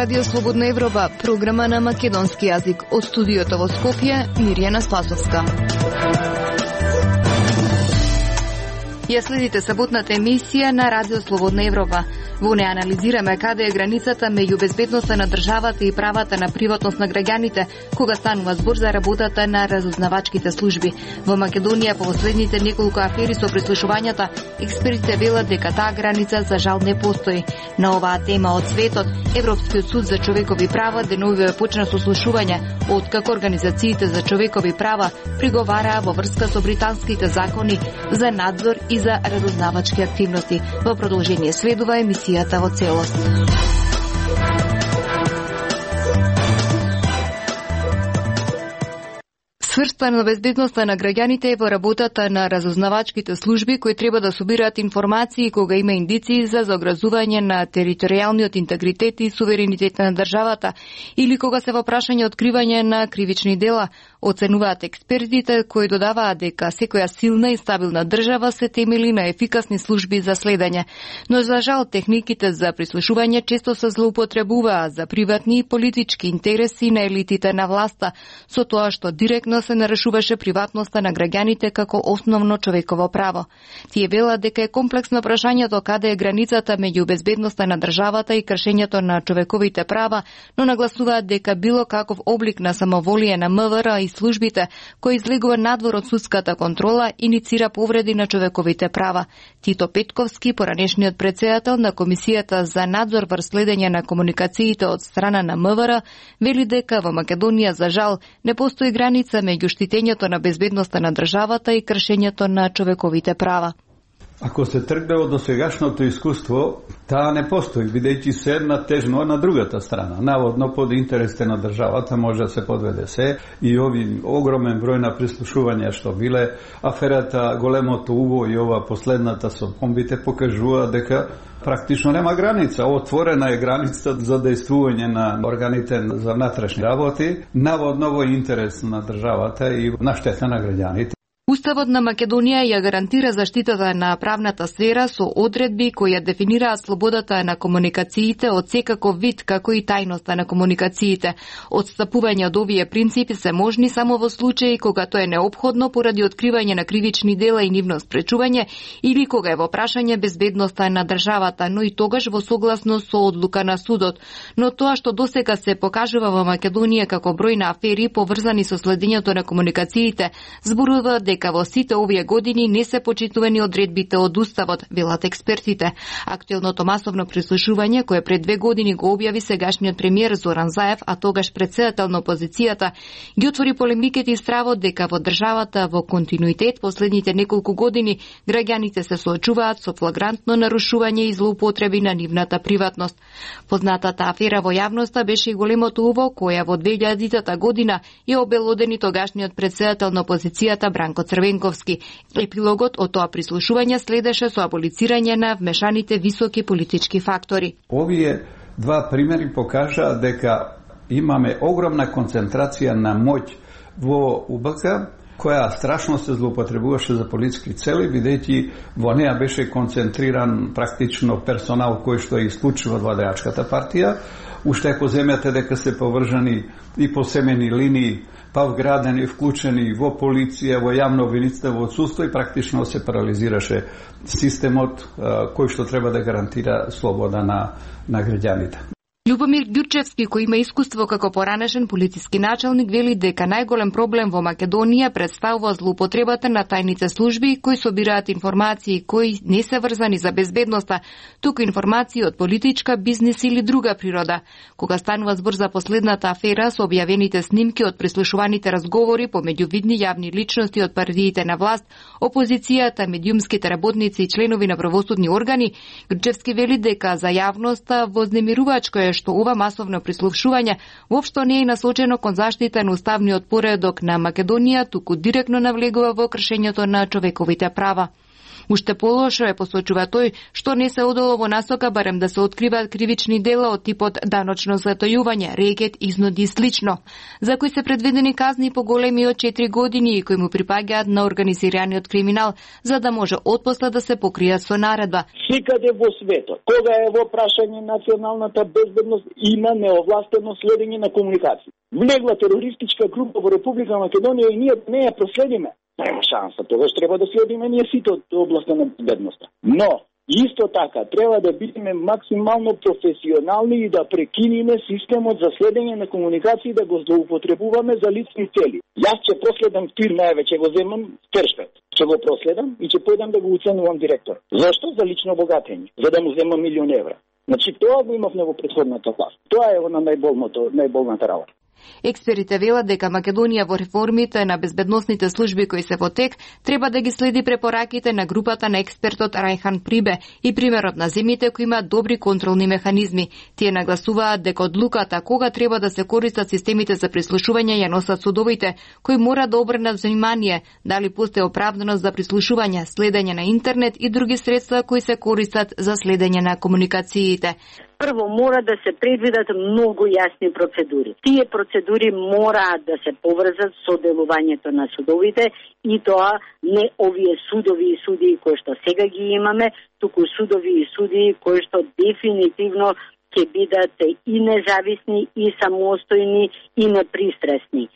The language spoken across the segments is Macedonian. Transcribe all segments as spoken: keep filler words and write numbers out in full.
Радио Слободна Европа, програма на македонски јазик. Од студиото во Скопје, Мирјана Спасовска. Ја следите саботната емисија на Радио Слободна Европа. Во неја анализираме каде е границата меѓу безбедноста на државата и правата на приватност на граѓаните, кога станува збор за работата на разузнавачките служби. Во Македонија по последните неколку афери со прислушувањата, експертите велат дека таа граница за жал не постои. На оваа тема од светот, Европскиот суд за човекови права деновиве почна сослушување, откако организациите за човекови права приговараа во врска со британските закони за надзор и за разузнавачки активности. Во продолжение следува емисијата во целост. Сврстана на безбедноста на граѓаните е во работата на разузнавачките служби кои треба да собираат информации кога има индиции за загрозување на територијалниот интегритет и суверенитет на државата или кога се во прашање откривање на кривични дела. Оценуваат експертите кои додаваат дека секоја силна и стабилна држава се темели на ефикасни служби за следење. Но за жал техниките за прислушување често се злоупотребуваат за приватни и политички интереси на елитите на власта, со тоа што директно се нарушуваше приватноста на граѓаните како основно човеково право. Тие велат дека е комплексно прашањето каде е границата меѓу безбедноста на државата и кршењето на човековите права, но нагласуваат дека било каков облик на самоволие на МВР и службите кој излегува надвор од судската контрола иницира повреди на човековите права. Тито Петковски, поранешниот претседател на Комисијата за надзор врз следење на комуникациите од страна на МВР, вели дека во Македонија за жал не постои граница меѓу штитењето на безбедноста на државата и кршењето на човековите права. Ако се тргне од досегашното искуство, таа не постои, бидејќи се една тежно на другата страна. Наводно под интересите на државата може да се подведе се и ови огромен број на прислушувања што биле, аферата големото уво и ова последната со бомбите покажува дека практично нема граница. Отворена е границата за дејствување на органите за внатрешни работи, наводно во интерес на државата и на штета на граѓаните. Уставот на Македонија ја гарантира заштитата на правната сфера со одредби кои ја дефинираат слободата на комуникациите од секаков вид, како и тајноста на комуникациите. Отстапување од овие принципи се можни само во случаи кога тоа е неопходно поради откривање на кривични дела и нивно спречување или кога е во прашање безбедноста на државата, но и тогаш во согласност со одлука на судот. Но тоа што досега се покажува во Македонија како број на афери поврзани со следењето на комуникациите, зборува дека во сите овие години не се почитувани одредбите од Уставот, велат експертите. Актуелното масовно прислушување, кое пред две години го објави сегашниот премиер Зоран Заев, а тогаш претседател на опозицијата, ги отвори полемиките и стравот дека во државата во континуитет последните неколку години граѓаните се соочуваат со флагрантно нарушување и злоупотреби на нивната приватност. Познатата афера во јавноста беше и големото уво која во две илјадитата година ја обелодени тогашниот претседател на опозицијата Бранко Црвенковски. Епилогот од тоа прислушување следеше со аболицирање на вмешаните високи политички фактори. Овие два примери покажаа дека имаме огромна концентрација на моќ во У Б К, која страшно се злоупотребуваше за политички цели, бидејќи во неа беше концентриран практично персонал кој што е исклучува од владеачката партија. Уште ако земјате дека се повржани и по семени линии, па вградени, вклучени во полиција, во јавно обвинителство, во судство и практично се парализираше системот кој што треба да гарантира слобода на, на граѓаните. Љубомир Ѓурчевски, кој има искуство како поранешен полициски началник, вели дека најголем проблем во Македонија представува злоупотребата на тајните служби кои собираат информации кои не се врзани за безбедноста, туку информации од политичка, бизнис или друга природа. Кога станува збор за последната афера со објавените снимки од прислушуваните разговори помеѓу видни јавни личности од партиите на власт, опозицијата, медиумските работници и членови на правосудни органи, Ѓурчевски вели дека за јавноста вознемирувачко е што ова масовно прислушување воопшто не е насочено кон заштита на уставниот поредок на Македонија, туку директно навлегува во кршењето на човековите права. Уште полошо е, посочува тој, што не се одело во насока барем да се откриваат кривични дела од типот даночно затојување, рекет, изнуди и слично, за кои се предвидени казни поголеми од четири години и кои му припаѓаат на организираниот криминал, за да може отпосле да се покријат со наредба. Секаде во светот, кога е во прашање националната безбедност, има неовластено следење на комуникација. Влегла терористичка група во Република Македонија и ние не ја проследиме. Нема шанса, тогаш треба да следиме ние сите од областа на безбедноста. Но исто така, треба да бидеме максимално професионални и да прекиниме системот за следење на комуникации, да го злоупотребуваме за лични цели. Јас ќе проследам тир највеќе го земам тершпет. Ќе го проследам и ќе појдам да го уценувам директор. Зошто? За лично богатење, за да му земам милион евра. Значи тоа го имавме во претходната власт. Тоа е на најболното, најболната работа. Експерите велат дека Македонија во реформите на безбедносните служби кои се во тек треба да ги следи препораките на групата на експертот Рајхан Прибе и примерот на земјите кои имаат добри контролни механизми. Тие нагласуваат дека одлуката кога треба да се користат системите за прислушување ја носат судовите, кои мора да обрнат внимание дали постои оправданост за прислушување, следење на интернет и други средства кои се користат за следење на комуникациите. Прво мора да се предвидат многу јасни процедури. Тие процедури мораат да се поврзат со делувањето на судовите и тоа не овие судови и судии кои што сега ги имаме, туку судови и судии кои што дефинитивно ќе бидат и независни, и самостојни, и непристрасни.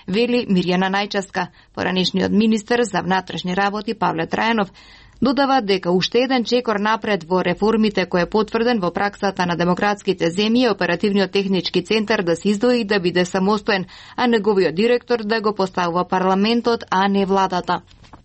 Вели Мирјана Најчевска, поранешниот министер за внатрешни работи Павле Трајанов. Додава дека уште еден чекор напред во реформите кој е потврден во праксата на демократските земји, оперативниот технички центар да се издвои да биде самостоен, а неговиот директор да го поставува парламентот, а не владата.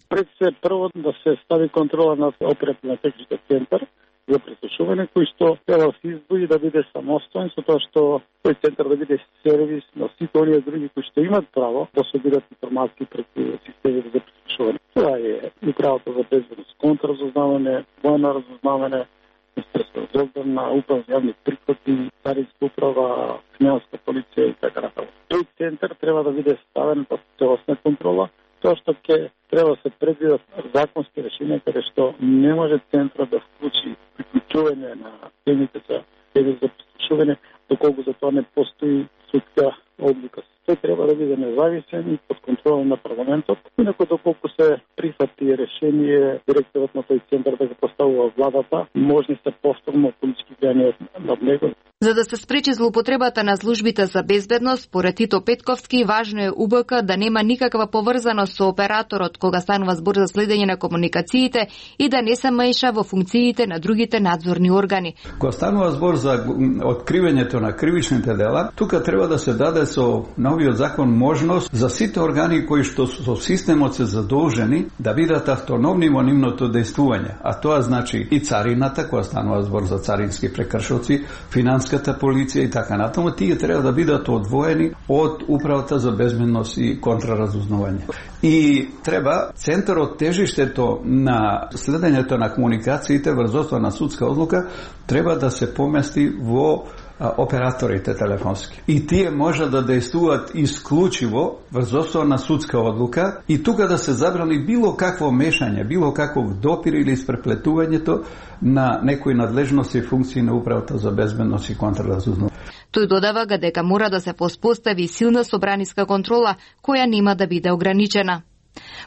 Пред се прво да се стави контрола над оперативниот технички центар за прислушување, кој што треба да се издвои да биде самостоен, со тоа што тој центар да биде сервис на сите оние други кои што имат право да собират информации преку системите за прислушување. Това е управата за безбедност, контраразузнавање, војно разузнавање, Министерство за одбрана, управа за јавни приходи, царинска управа, финансиска полиција и така натаму. Тој центар треба да биде ставен под целосна контрола, тоа што ќе треба да се предвидат законски решенија каде што не може центарот да вклучи приклучување на темите за за прислушување, доколку за тоа не постои судска одлука. Тој треба да биде независен и под контрола на парламентот. Инаку доколку се прифати решение директорот на тој центар да го поставува владата, можни се повторно политички влијанија над него. За да се спречи злоупотребата на службите за безбедност, според Тито Петковски, важно е У Б К да нема никаква поврзаност со операторот кога станува збор за следење на комуникациите и да не се меша во функциите на другите надзорни органи. Кога станува збор за откривањето на кривичните дела, тука треба да се даде со новиот закон можност за сите органи кои што со системот се задолжени да бидат автономни во нивното дејствување, а тоа значи и царината, кога станува збор за царински прекршоци, финансиската полиција и така натаму, тие треба да бидат одвоени од управата за безбедност и контраразузнавање. И треба центарот, тежиштето на следењето на комуникациите врз основа на судска одлука треба да се помести во операторите телефонски. И тие може да дејствуваат исклучиво врз основа на судска одлука и тука да се забрани било какво мешање, било каков допир или испреплетувањето на некои надлежности и функции на управата за безбедност и контраразузнавање. Тој додава дека мора да се поспостави силна собраниска контрола која нема да биде ограничена.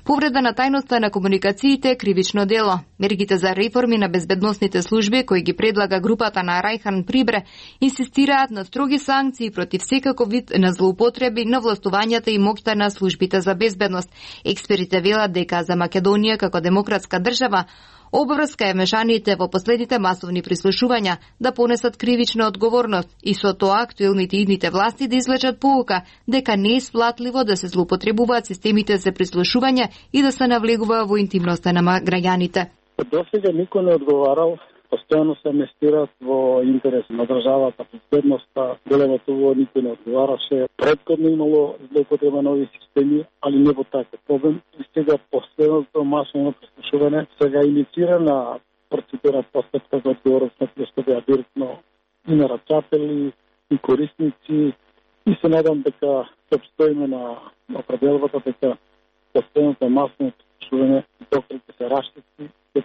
Повреда на тајноста на комуникациите е кривично дело. Мерките за реформи на безбедносните служби кои ги предлага групата на Рајхан Прибре инсистираат на строги санкции против секаков вид на злоупотреби на властувањата и моќта на службите за безбедност. Експерите велат дека за Македонија како демократска држава обврска е мешаните во последните масовни прислушувања да понесат кривична одговорност и со тоа актуелните идните власти да извлечат поука дека не е сплатливо да се злоупотребуваат системите за прислушување и да се навлегува во интимноста на граѓаните. Досега никој не одговарал, постојано се инвестираат во интерес на државата, безбедноста, големото во никој не одговараше. Предходно имало злоупотреба на овие системи, али не во таков проблем. И сега последното масовно прислушување сега инициира на процедура постапка за одговорност на тие што беа директно и на рачатели, и корисници. И се надам дека ќе обстоиме на определбата дека последното масовно прислушување доколку се раштети, ќе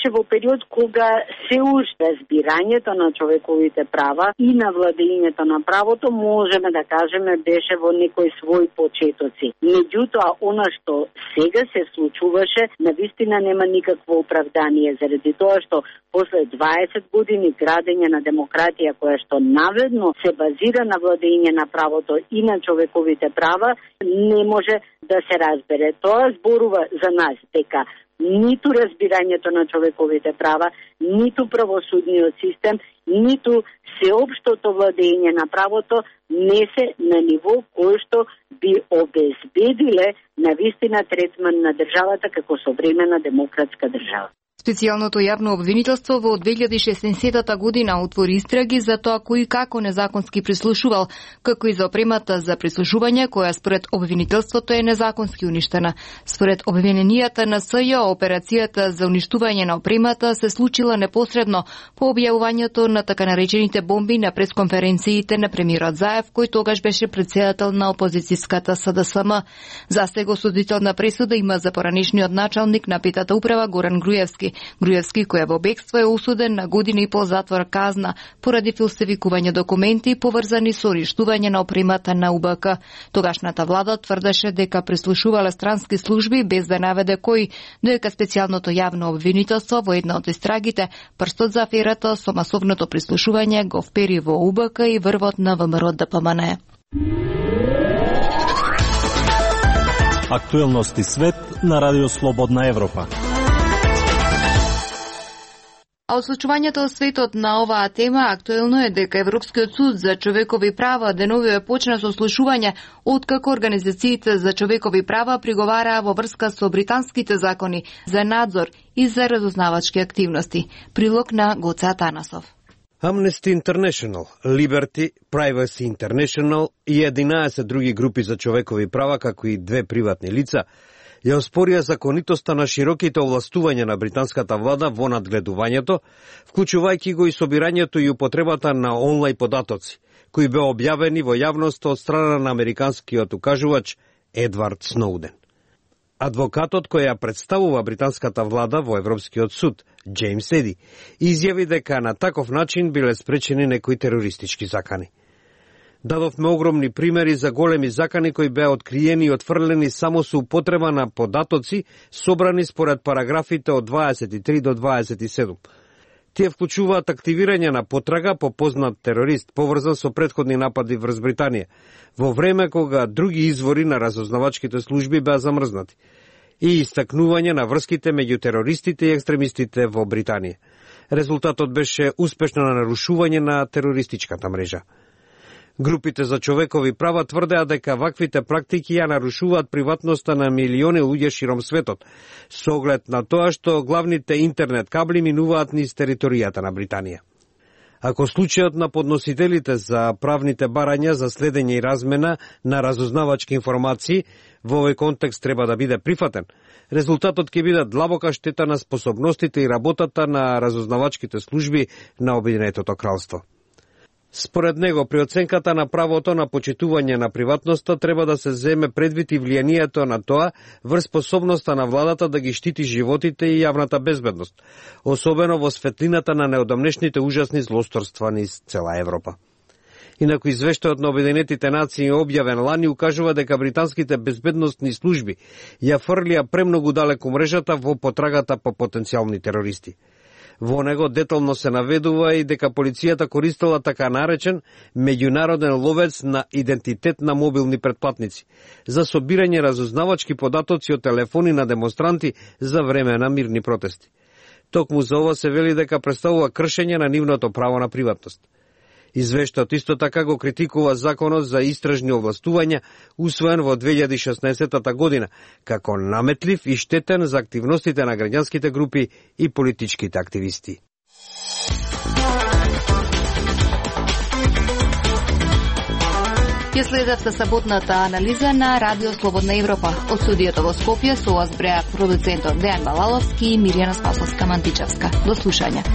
беше во период кога се уште разбирањето на човековите права и на владењето на правото можеме да кажеме беше во некои своји почетоци. Меѓутоа, она што сега се случуваше, навистина нема никакво оправдание, заради тоа што после дваесет години градење на демократија која што наведно се базира на владење на правото и на човековите права, не може да се разбере. Тоа зборува за нас дека ниту разбирањето на човековите права, ниту правосудниот систем, ниту сеопштото владење на правото не се на ниво кој што би обезбедиле навистина третман на државата како современа демократска држава. Специјалното јавно обвинителство во две илјади и шеснаесетта година отвори истраги за тоа кој и како незаконски прислушувал, како и за опремата за прислушување која според обвинителството е незаконски уништена. Според обвиненијата на СЈО, операцијата за уништување на опремата се случила непосредно по објавувањето на така наречените бомби на пресконференциите на премиерот Заев, кој тогаш беше претседател на опозицијската СДСМ. Застего осудителна пресуда има за поранешниот началник на петата управа Горан Груевски. Груевски, кој во бегство е осуден на година и пол затвор казна поради фалсификување документи поврзани со уништување на опремата на У Б К. Тогашната влада тврдеше дека прислушувале странски служби без да наведе кој, дека специјалното јавно обвинителство во една од истрагите прстот за аферата со масовното прислушување го впери во У Б К и врвот на ВМРО Д П М Н. Актуелности свет на Радио Слободна Европа. А од случувањето од светот на оваа тема актуелно е дека Европскиот суд за човекови права деновиве почна со слушување откако организациите за човекови права приговараа во врска со британските закони за надзор и за разузнавачки активности. Прилог на Гоце Атанасов. Amnesty International, Liberty, Privacy International и единаесет други групи за човекови права, како и две приватни лица, ја оспорија законитоста на широките овластувања на британската влада во надгледувањето, вклучувајќи го и собирањето и употребата на онлайн податоци, кои беа објавени во јавност од страна на американскиот укажувач Едвард Сноуден. Адвокатот кој ја представува британската влада во Европскиот суд, Джеймс Еди, изјави дека на таков начин биле спречени некои терористички закани. Дадовме огромни примери за големи закани кои беа откриени и отфрлени само со употреба на податоци собрани според параграфите од дваесет и три до дваесет и седум. Тие вклучуваат активирање на потрага по познат терорист поврзан со претходни напади врз Британија, во време кога други извори на разузнавачките служби беа замрзнати, и истакнување на врските меѓу терористите и екстремистите во Британија. Резултатот беше успешно нарушување на терористичката мрежа. Групите за човекови права тврдеа дека ваквите практики ја нарушуваат приватноста на милиони луѓе широм светот, со оглед на тоа што главните интернет кабли минуваат низ територијата на Британија. Ако случајот на подносителите за правните барања за следење и размена на разузнавачки информации во овој контекст треба да биде прифатен, резултатот ќе биде длабока штета на способностите и работата на разузнавачките служби на Обединетото кралство. Според него, при оценката на правото на почитување на приватноста треба да се земе предвид и влијанието на тоа врз способноста на владата да ги штити животите и јавната безбедност, особено во светлината на неодамнешните ужасни злосторства низ цела Европа. Инаку извештајот на Обединетите нации објавен лани укажува дека британските безбедносни служби ја фрлија премногу далеку мрежата во потрагата по потенцијални терористи. Во него детално се наведува и дека полицијата користела така наречен меѓународен ловец на идентитет на мобилни претплатници за собирање разузнавачки податоци од телефони на демонстранти за време на мирни протести. Токму за ова се вели дека представува кршење на нивното право на приватност. Извештајот исто така го критикува законот за истражни овластувања, усвоен во две илјади и шеснаесетта година, како наметлив и штетен за активностите на граѓанските групи и политичките активисти. Ја следевте саботната анализа на Радио Слободна Европа. Од студиото во Скопје со вас бреа продуцентот Дејан Балаловски и Мирјана Спасовска-Мантичевска. До слушање.